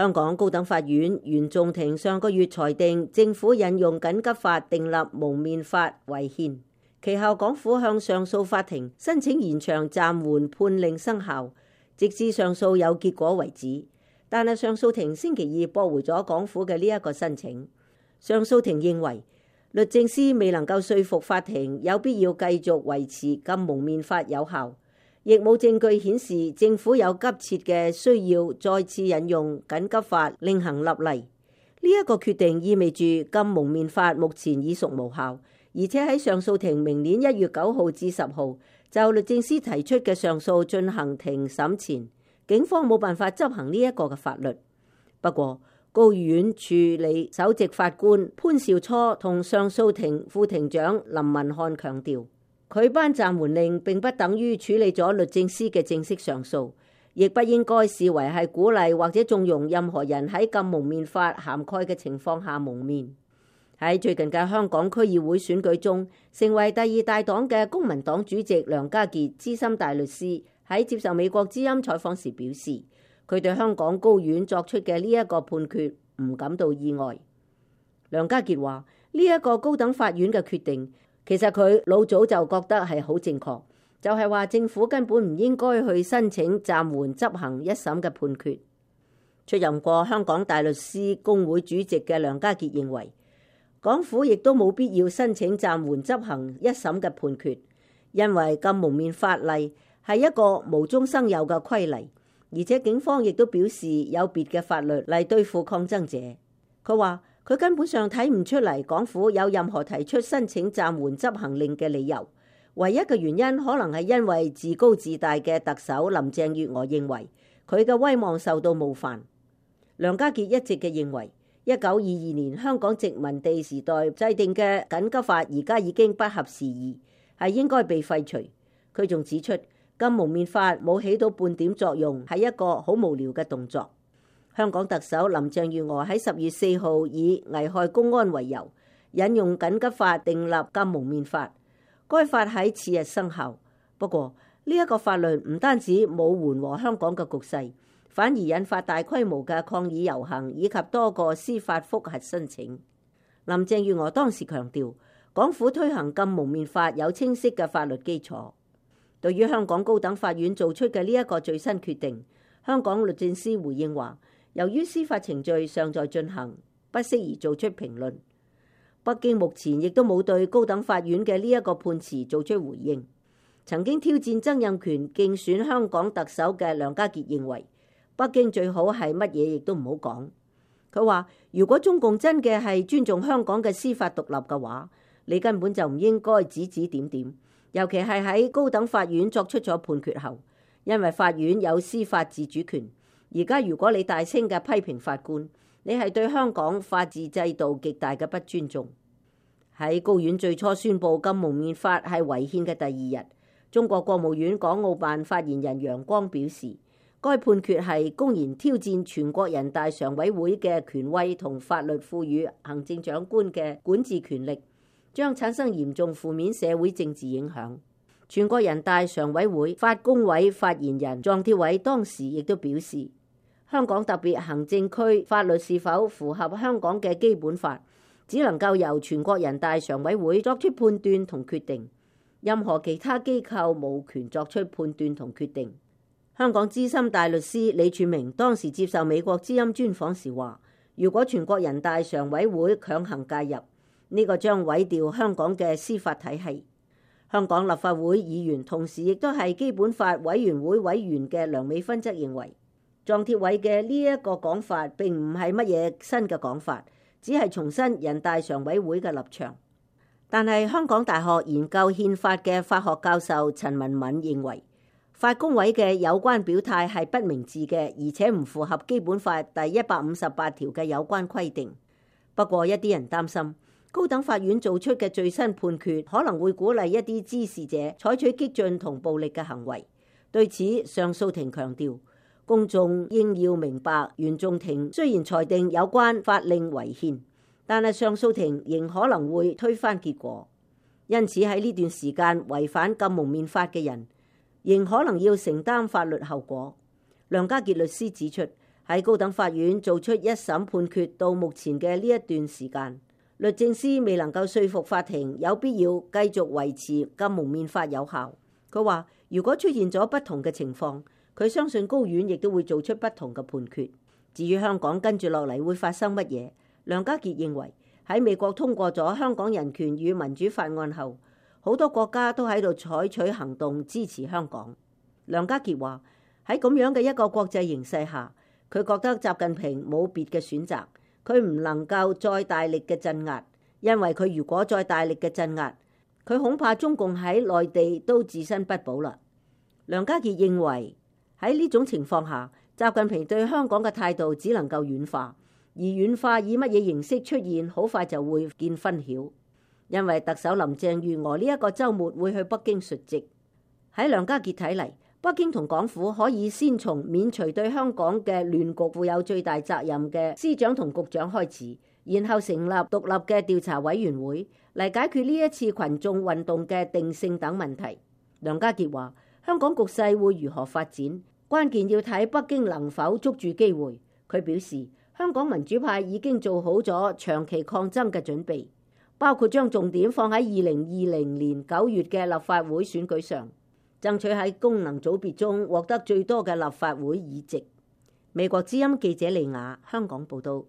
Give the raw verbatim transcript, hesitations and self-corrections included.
香港高等法院原訟庭上個月裁定政府引用緊急法訂立蒙面法違憲，其後港府向上訴法庭申請延長暫緩判令生效，直至上訴有結果為止。但係上訴庭星期二駁回咗港府嘅呢一個申請。上訴庭認為律政司未能夠說服法庭有必要繼續維持禁蒙面法有效，亦冇證據顯示政府有急切嘅需要再次引用緊急法另行立例。呢一個決定意味住禁蒙面法目前已屬無效，而且喺上訴庭明年一月九號至十號就律政司提出嘅上訴進行庭審前，警方冇辦法執行呢一個嘅法律。不過高院處理首席法官潘兆初同上訴庭副庭長林文漢強調，佢頒暫緩令並不等於處理咗律政司嘅正式上訴，亦不應該視為係鼓勵或者縱容任何人喺禁蒙面法涵蓋嘅情況下蒙面。喺最近嘅香港區議會選舉中，成為第二大黨嘅公民黨主席梁家傑資深大律師喺接受美國之音採訪時表示，佢對香港高院作出嘅呢一個判決唔感到意外。梁家傑話：呢一個高等法院嘅決定，其實佢老早就覺得係好正確，就係話政府根本唔應該去申請暫緩執行一審嘅判決。出任過香港大律師公會主席嘅梁家傑認為，港府亦都冇必要申請暫緩執行一審嘅判決，因為禁蒙面法例係一個無中生有嘅規例，而且警方亦都表示有別嘅法律嚟對付抗爭者。佢話佢根本上睇唔出嚟港府有任何提出申請暫緩執行令嘅理由，唯一嘅原因可能係因為自高自大嘅特首林鄭月娥認為佢嘅威望受到冒犯。梁家傑一直嘅認為，一九二二年香港殖民地時代制定嘅緊急法而家已經不合時宜，係應該被廢除。佢仲指出，禁蒙面法冇起到半點作用，係一個好無聊嘅動作。香港特首林鄭月娥喺十月四號以危害公安為由，引用緊急法訂立禁蒙面法，該法喺次日生效。不過呢一個法律唔單止冇緩和香港嘅局勢，反而引發大規模嘅抗議遊行以及多個司法覆核申請。林鄭月娥當時強調，港府推行禁蒙面法有清晰嘅法律基礎。對於香港高等法院做出嘅呢一個最新決定，香港律政司回應話，由於司法程序尚在進行，不適宜做出評論。北京目前亦都冇對高等法院嘅呢一個判詞做出回應。曾經挑戰曾蔭權競選香港特首嘅梁家傑認為，北京最好係乜嘢亦都唔好講。佢話，如果中共真嘅係尊重香港嘅司法獨立嘅話，你根本就唔應該指指點點，尤其係喺高等法院作出咗判決後，因為法院有司法自主權。而家如果你大聲嘅批評法官，你係對香港法治制度極大嘅不尊重。喺高院最初宣布禁蒙面法係違憲嘅第二日，中國國務院港澳辦發言人楊光表示，該判決係公然挑戰全國人大常委會嘅權威同法律賦予行政長官嘅管治權力，將產生嚴重負面社會政治影響。全國人大常委會法工委發言人莊鐵偉當時亦都表示，香港特別行政區法律是否符合香港嘅基本法，只能夠由全國人大常委會作出判斷同決定，任何其他機構無權作出判斷同決定。香港資深大律師李柱銘當時接受美國之音專訪時話，如果全國人大常委會強行介入，呢個將毀掉香港嘅司法體系。香港立法會議員同時亦都係基本法委員會委員嘅梁美芬則認為，莊鐵偉嘅呢一個講法並唔係乜嘢新嘅講法，只係重申人大常委會嘅立場。但係香港大學研究憲法嘅法學教授陳文敏認為，法工委嘅有關表態係不明智嘅，而且唔符合基本法第一百五十八條嘅有關規定。不過一啲人擔心，高等法院做出嘅最新判決可能會鼓勵一啲滋事者採取激進同暴力嘅行為。對此，上訴庭強調，公眾應要明白，原訟庭雖然裁定有關法令違憲，但係上訴庭仍可能會推翻結果。因此喺呢段時間違反禁蒙面法嘅人，仍可能要承擔法律後果。梁家傑律師指出，喺高等法院做出一審判決到目前嘅呢一段時間，律政司未能夠說服法庭有必要繼續維持禁蒙面法有效。佢話如果出現咗不同嘅情況，佢相信高院亦都會做出不同嘅判決。至於香港跟住落嚟會發生乜嘢，梁家傑認為喺美國通過咗《香港人權與民主法案》後，好多國家都喺度採取行動支持香港。梁家傑話喺咁樣嘅一個國際形勢下，佢覺得習近平冇別嘅選擇，佢唔能夠再大力嘅鎮壓，因為佢如果再大力嘅鎮壓，佢恐怕中共喺內地都自身不保啦。梁家傑認為喺呢種情況下，習近平對香港嘅態度只能夠軟化，而軟化以乜嘢形式出現，好快就會見分曉。因為特首林鄭月娥呢一個週末會去北京述職，喺梁家傑睇嚟，北京同港府可以先從免除對香港嘅亂局負有最大責任嘅司長同局長開始，然後成立獨立嘅調查委員會嚟解決呢一次群眾運動嘅定性等問題。梁家傑話：香港局勢會如何發展，關鍵要睇北京能否捉住機會。佢表示，香港民主派已經做好咗長期抗爭嘅準備，包括將重點放喺二零二零年九月嘅立法會選舉上，爭取喺功能組別中獲得最多嘅立法會議席。美國之音記者李雅香港報道。